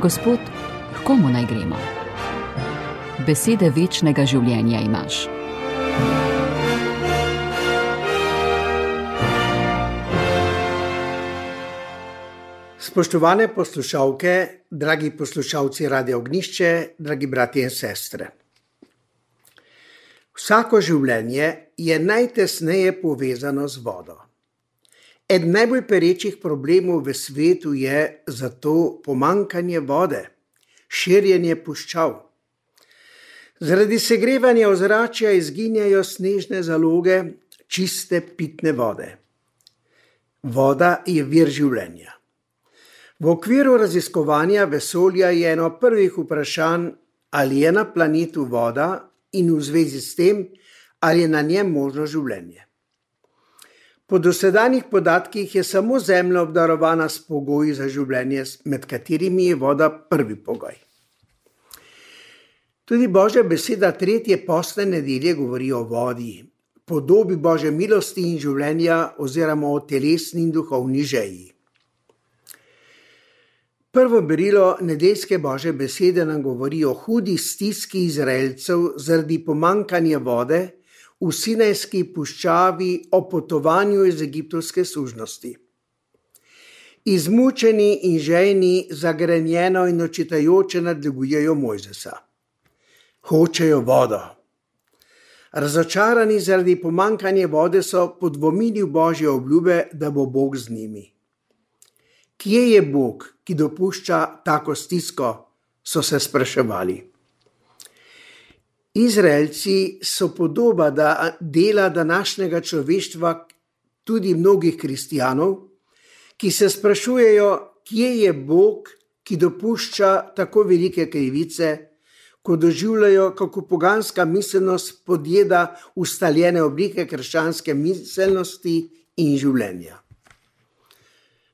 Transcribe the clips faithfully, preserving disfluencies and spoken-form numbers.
Gospod, k komu naj gremo? Besede večnega življenja imaš. Spoštovane poslušalke, dragi poslušalci Radia Ognjišče, dragi bratje in sestre. Vsako življenje je najtesneje povezano z vodo. Eden najbolj perečih problemov v svetu je zato pomanjkanje vode, širjenje puščav. Zaradi segrevanja ozračja izginjajo snežne zaloge čiste pitne vode. Voda je vir življenja. V okviru raziskovanja vesolja je eno prvih vprašanj, ali je na planetu voda in v zvezi s tem, ali je na njem možno življenje. Po dosedanjih podatkih je samo Zemlja obdarovana s pogoji za življenje, med katerimi je voda prvi pogoj. Tudi Božja beseda tretje postne nedelje govori o vodi, podobi Božje milosti in življenja oziroma o telesni in duhovni žeji. Prvo berilo nedeljske Božje besede nam govori o hudi stiski Izraelcev zaradi pomanjkanja vode v Sinajski puščavi o potovanju iz egiptovske sužnosti. Izmučeni in žejni zagrenjeno in očitajoče nadlegujejo Mojzesa. Hočejo vodo. Razočarani zaradi pomanjkanja vode so podvomili v Božje obljube, da bo Bog z njimi. Kje je Bog, ki dopušča tako stisko, so se spraševali. Izraelci so podoba da dela današnjega človeštva, tudi mnogih kristjanov, ki se sprašujejo, kje je Bog, ki dopušča tako velike krivice, ko doživljajo, kako poganska miselnost podjeda ustaljene oblike krščanske miselnosti in življenja.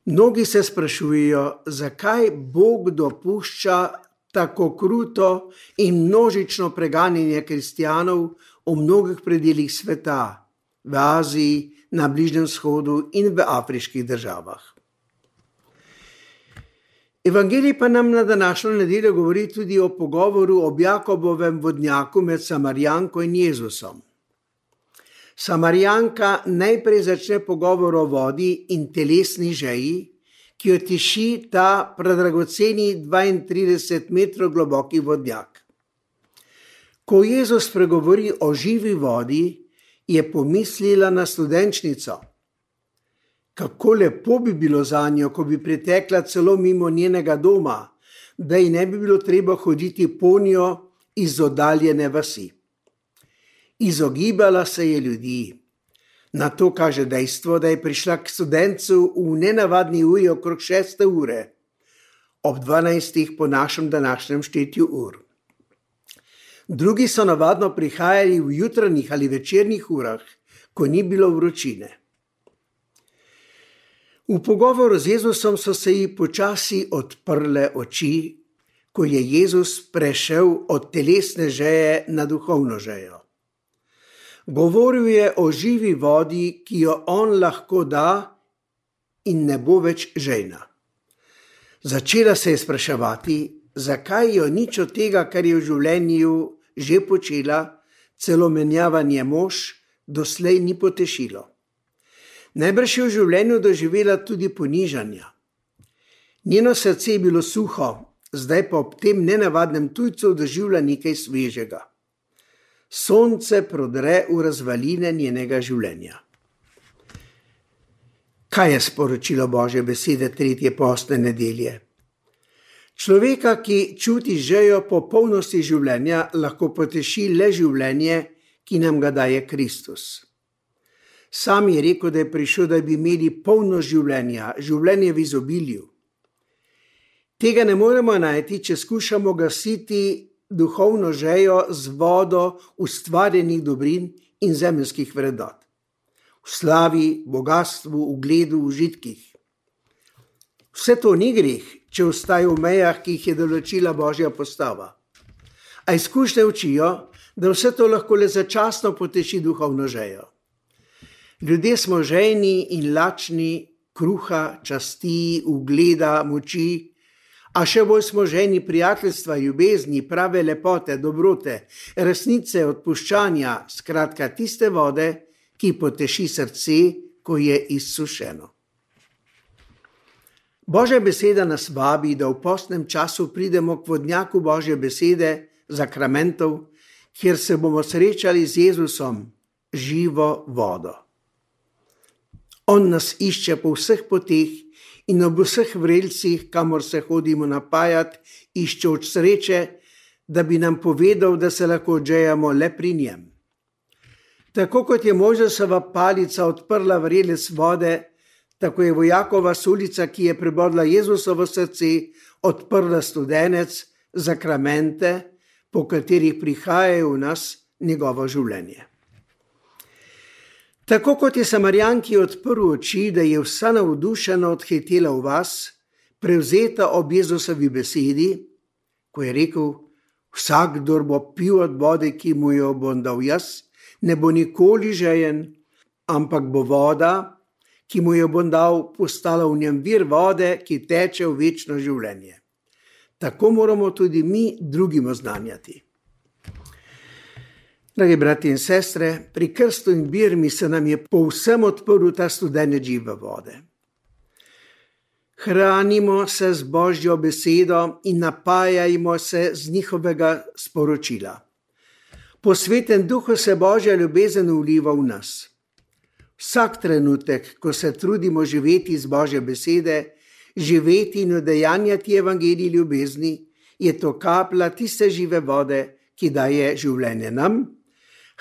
Mnogi se sprašujejo, zakaj Bog dopušča tako kruto in množično preganjanje kristjanov v mnogih predelih sveta, v Aziji, na Bližnjem vzhodu in v afriških državah. Evangelij pa nam na današnjo nedeljo govori tudi o pogovoru ob Jakobovem vodnjaku med Samarijanko in Jezusom. Samarijanka najprej začne pogovor o vodi in telesni žeji, ki jo tiši ta predragoceni dvaintrideset metrov globoki vodnjak. Ko Jezus pregovori o živi vodi, je pomislila na studenčnico. Kako lepo bi bilo zanjo, ko bi pretekla celo mimo njenega doma, da ji ne bi bilo treba hoditi po njo iz oddaljene vasi. Izogibala se je ljudi. Na to kaže dejstvo, da je prišla k studencu v nenavadni uri okrog šeste ure, ob dvanajstih po našem današnjem štetju ur. Drugi so navadno prihajali v jutranjih ali večernih urah, ko ni bilo vročine. V pogovoru z Jezusom so se ji počasi odprle oči, ko je Jezus prešel od telesne žeje na duhovno žejo. Govoril je o živi vodi, ki jo on lahko da in ne bo več žejna. Začela se je spraševati, zakaj jo nič od tega, kar je v življenju že počela, celo menjavanje mož, doslej ni potešilo. Najbrž je v življenju doživela tudi ponižanja. Njeno srce je bilo suho, zdaj pa ob tem nenavadnem tujcu doživlja nekaj svežega. Sonce prodre v razvaline njenega življenja. Kaj je sporočilo Božje besede tretje postne nedelje? Človeka, ki čuti žejo po polnosti življenja, lahko poteši le življenje, ki nam ga daje Kristus. Sam je rekel, da je prišel, da bi imeli polno življenja, življenje v izobilju. Tega ne moremo najti, če skušamo gasiti duhovno žejo z vodo ustvarjenih dobrin in zemeljskih vrednot. V slavi, bogastvu, ugledu, užitkih. Vse to ni greh, če ostaje v mejah, ki jih je določila Božja postava. A izkušnje učijo, da vse to lahko le začasno poteši duhovno žejo. Ljudje smo žejni in lačni kruha, časti, ugleda, moči, A še bolj smo ženi prijateljstva, ljubezni, prave lepote, dobrote, resnice, odpuščanja, skratka tiste vode, ki poteši srce, ko je izsušeno. Božja beseda nas vabi, da v postnem času pridemo k vodnjaku Božje besede, zakramentov, kjer se bomo srečali z Jezusom, živo vodo. On nas išče po vseh poteh in ob vseh vrelcih, kamor se hodimo napajati, iščeč sreče, da bi nam povedal, da se lahko odžejamo le pri njem. Tako kot je Mojzesova palica odprla vrelec vode, tako je vojakova sulica, ki je prebodla Jezusovo srce, odprla studenec, zakramente, po katerih prihajajo v nas njegovo življenje. Tako kot je Samarijanki odprl oči, da je vsa navdušena odhitela v vas, prevzeta ob Jezusovi besedi, ko je rekel: vsak, kdor bo pil od vode, ki mu jo bom dal jaz, ne bo nikoli žejen, ampak bo voda, ki mu jo bom dal, postala v njem vir vode, ki teče v večno življenje. Tako moramo tudi mi drugim oznanjati. Dragi brati in sestre, pri krstu in birmi se nam je povsem odprl ta studenec žive vode. Hranimo se z Božjo besedo in napajajmo se z njihovega sporočila. Po Svetem Duhu se Božja ljubezen vliva v nas. Vsak trenutek, ko se trudimo živeti z Božje besede, živeti in udejanjati evangelij ljubezni, je to kaplja tiste žive vode, ki daje življenje nam,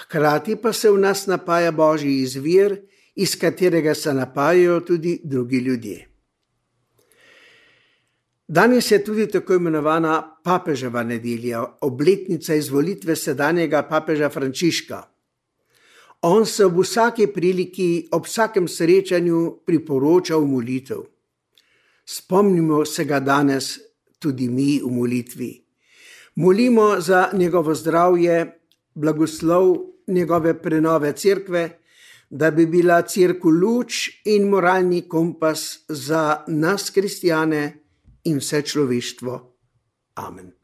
hkrati pa se v nas napaja Božji izvir, iz katerega se napajajo tudi drugi ljudje. Danes je tudi tako imenovana papeževa nedelja, obletnica izvolitve sedanjega papeža Frančiška. On se ob vsaki priliki, ob vsakem srečanju priporoča v molitev. Spomnimo se ga danes tudi mi v molitvi. Molimo za njegovo zdravje, blagoslov njegove prenove cerkve, da bi bila cerkev luč in moralni kompas za nas kristjane in vse človeštvo. Amen.